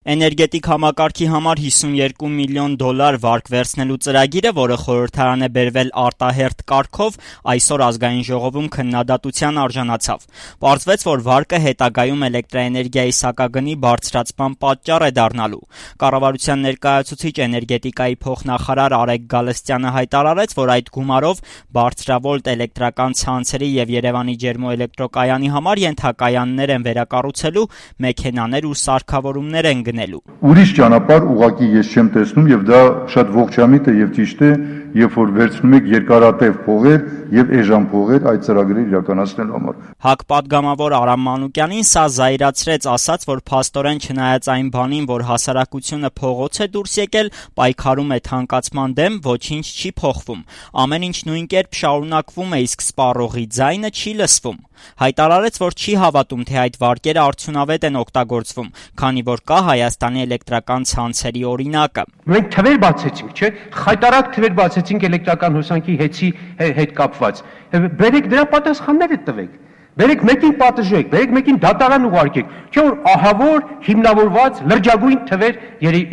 Էներգետիկ համակարգի համար $52 միլիոն վարկ վերցնելու ծրագիրը, որը խորհրդարան է բերվել արտահերթ կարգով, այսօր ազգային ժողովում քննադատության արժանացավ։ Պարզվեց, որ վարկը հետագայում էլեկտրաէներգիայի սակագնի բարձրացման պատճառ է դառնալու։ Կառավարության ներկայացուցիչ էներգետիկայի փոխնախարար Արեգ Գալստյանը հայտարարեց, որ այդ գումարով բարձրավոլտ էլեկտրական ցանցերի եւ Երևանի ջերմոէլեկտրոկայանի համար ենթակայաններ են վերակառուցելու, մեքենաներ ու սարքավորումներ են գնելու։ Ուրիշ ճանապարհ ուղղակի ես չեմ տեսնում եւ դա շատ ողջամիտ է եւ ճիշտ է, երբ որ վերցնում եք երկարատև փողեր եւ էժան փողեր այդ ծրագրերը իրականացնելու համար։ ՀԱԿ պատգամավոր Արամ Մանուկյանին սա զայրացրեց, ասաց, որ փաստորեն չնայած այն բանին, որ հասարակությունը փողոց է դուրս եկել, պայքարում է թանկացման դեմ, ոչինչ չի փոխվում։ Ամեն ինչ նույն կերպ շարունակվում է, իսկ սպառողի ձայնը չի լսվում։ Հայտարարեց, որ չի հավատում, թե այդ վարկերը արդյունավետ են օգտագործվում, քանի որ կա Հայաստանի էլեկտրական ցանցերի օրինակը։ Մենք թվեր բացեցինք, չէ՞, խայտարակ թվեր բացեցինք էլեկտրական հոսանքի հետ կապված։ Բերեք դրա պատասխանները տվեք։ Բերեք մեկին պատժեք, բերեք մեկին դատարան ուղարկեք։ Չէ՞ որ ահավոր հիմնավորված լրջագույն թվեր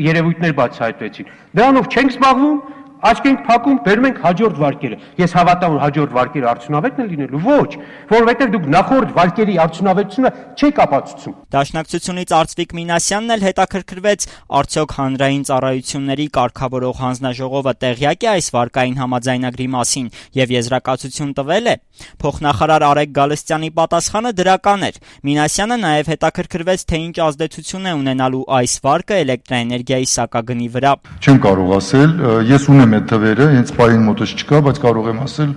երևույթներ բացահայտվեցին։ Դրանով չենք զբաղվում, աչք ենք փակում, բերում ենք հաջորդ վարկերը։ Ես հավատամ, որ հաջորդ վարկերը արդյունավետ են լինելու։ Ոչ, որովհետև դուք նախորդ վարկերի արդյունավետությունը չեք ապացուցում։ Դաշնակցությունից Արծվիկ Մինասյանն էլ հետաքրքրվեց, արդյոք հանրային ծառայությունների կարգավորող հանձնաժողովը տեղյակ է այս վարկային համաձայնագրի մասին եւ եզրակացություն տվել է։ Փոխնախարար Արեգ Գալստյանի պատասխանը դրական էր։ Մինասյանը նաեւ հետաքրքրվեց, թե ինչ ազդեցություն է ունենալու այս վարկը էլեկտրաէներգիայի սակագնի վրա։ Չեմ կարող ասել, ես ունեմ այդ թվերը, հենց պահին մոտս չկա, բայց կարող եմ ասել,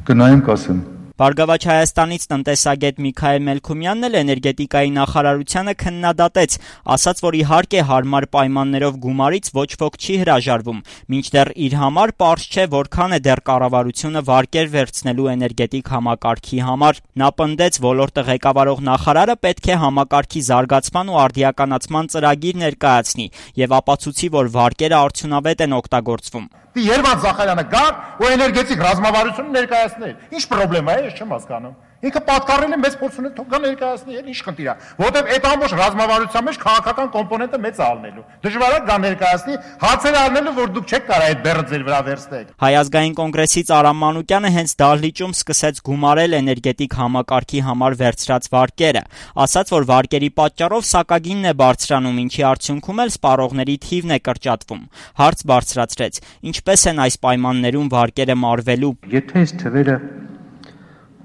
կնայեմ կասեմ։ Բարգավաճ Հայաստանից տնտեսագետ Միքայել Մելքումյանն էլ էներգետիկայի նախարարությանը քննադատեց, ասաց, որ իհարկե հարմար պայմաններով գումարից ոչ ոք չի հրաժարվում, մինչդեռ իր համար պարզ չէ, որքան է դեռ կառավարությունը վարկեր վերցնելու էներգետիկ համակարգի համար։ Նա պնդեց, ոլորտը ղեկավարող նախարարը պետք է համակարգի զարգացման ու արդիականացման ծրագիր ներկայացնի եւ ապացուցի, որ վարկերը արդյունավետ են օգտագործվում։ Երվանդ Զախարյանը գար ու էներգետիկ ռազմավարությունը ներկայացնել։ Ինչ խնդրեմ է, ես չեմ հասկանում։ Ինքը պատկառել է մեծ փորձուն է թողա ներկայացնի, ինչ խնդիր է։ Որովհետև այդ ամբողջ ռազմավարության մեջ քաղաքական կոմպոնենտը մեծ է ալնելու։ Դժվար է դա ներկայացնի, հացեր առնելու, որ դուք չեք կարող այդ բեռը ձեր վրա վերցնեք։ Հայ ազգային կոնգրեսից Արամ Մանուկյանը հենց դահլիճում սկսեց գումարել էներգետիկ համակարգի համար վերցրած վարկերը։ Ասաց, որ վարկերի պատճառով սակագինն է բարձրանում, ինչի արդյունքում էլ սպառողների թիվն է կրճատվում։ Հարց բարձրացրեց. ինչպես են այս պայմաններում վարկերը մարվելու։ Եթե այս թվերը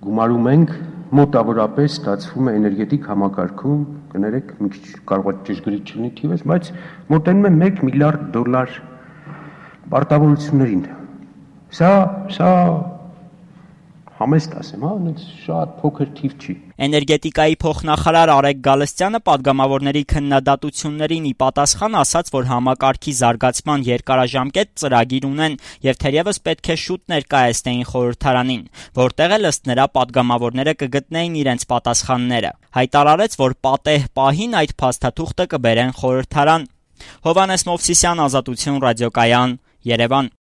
գումարում ենք, մոտավորապես ստացվում է էներգետիկ համակարգում, կներեք, մի քիչ կարող է ճշգրիտ չլինի թիվս, բայց մոտենում է $1 միլիարդ պարտավորություններին։ Սա համեստ ասեմ, շատ փոքր թիվ չի։ Էներգետիկայի փոխնախարար Արեգ Գալստյանը պատգամավորների քննադատություններին ի պատասխան ասաց, որ համակարգի զարգացման երկարաժամկետ ծրագիր ունեն եւ թերևս պետք է շուտ ներկայացնեին խորհրդարանին, որտեղ էլ ըստ նրա պատգամավորները կգտնեին իրենց պատասխանները։ Հայտարարեց, որ պատեհ պահին այդ փաստաթուղթը կբերեն խորհրդարան։ Հովհաննես Մովսիսյան, Ազատություն ռադիոկայան, Երևան։